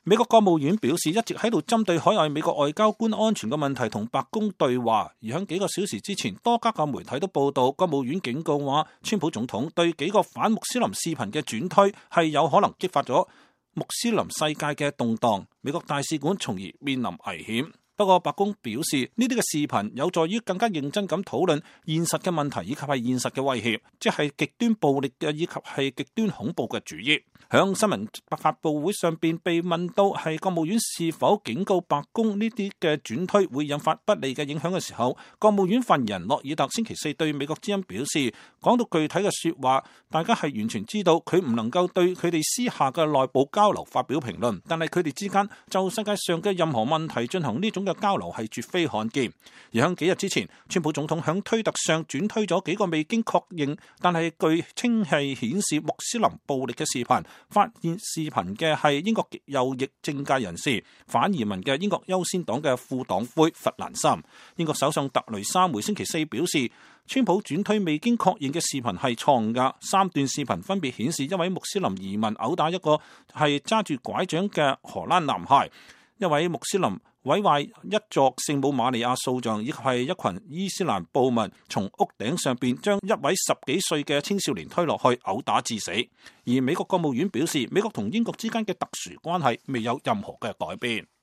美國國務院表示，一直喺度針對海外美國外交官安全嘅問題同白宮對話。而喺幾個小時之前，多家嘅媒體都報道，國務院警告話，川普總統對幾個反穆斯林視頻嘅轉推係有可能激發咗穆斯林世界嘅動盪，美國大使館從而面臨危險。不過白宮表示，呢啲嘅視頻有助於更加認真咁討論現實嘅問題，以及係現實嘅威脅，即係極端暴力嘅以及係極端恐怖嘅主義。響新聞發佈會上邊被問到係國務院是否警告白宮呢啲嘅轉推會引發不利嘅影響嘅時候，國務院發言人諾爾特星期四對美國之音表示，講到具體嘅說話，大家係完全知道佢唔能夠對佢哋私下嘅內部交流發表評論，但係佢哋之間就世界上嘅任何問題進行呢種嘅交流係絕非罕見。而喺幾日之前，川普總統響推特上轉推咗幾個未經確認但係據稱係顯示穆斯林暴力嘅視頻，發現視頻嘅係英國極右翼政界人士、反移民嘅英國優先黨嘅副黨魁弗蘭森。英國首相特雷莎梅星期四表示，川普轉推未經確認嘅視頻係錯誤㗎。3段視頻分別顯示一位穆斯林移民毆打一個係揸住拐杖嘅荷蘭男孩，一位穆斯林毀壞一座聖母瑪利亞塑像，以及係一群伊斯蘭暴民從屋頂上邊將一位10幾歲嘅青少年推落去毆打致死。而美國國務院表示，美國同英國之間嘅特殊關係未有任何嘅改變。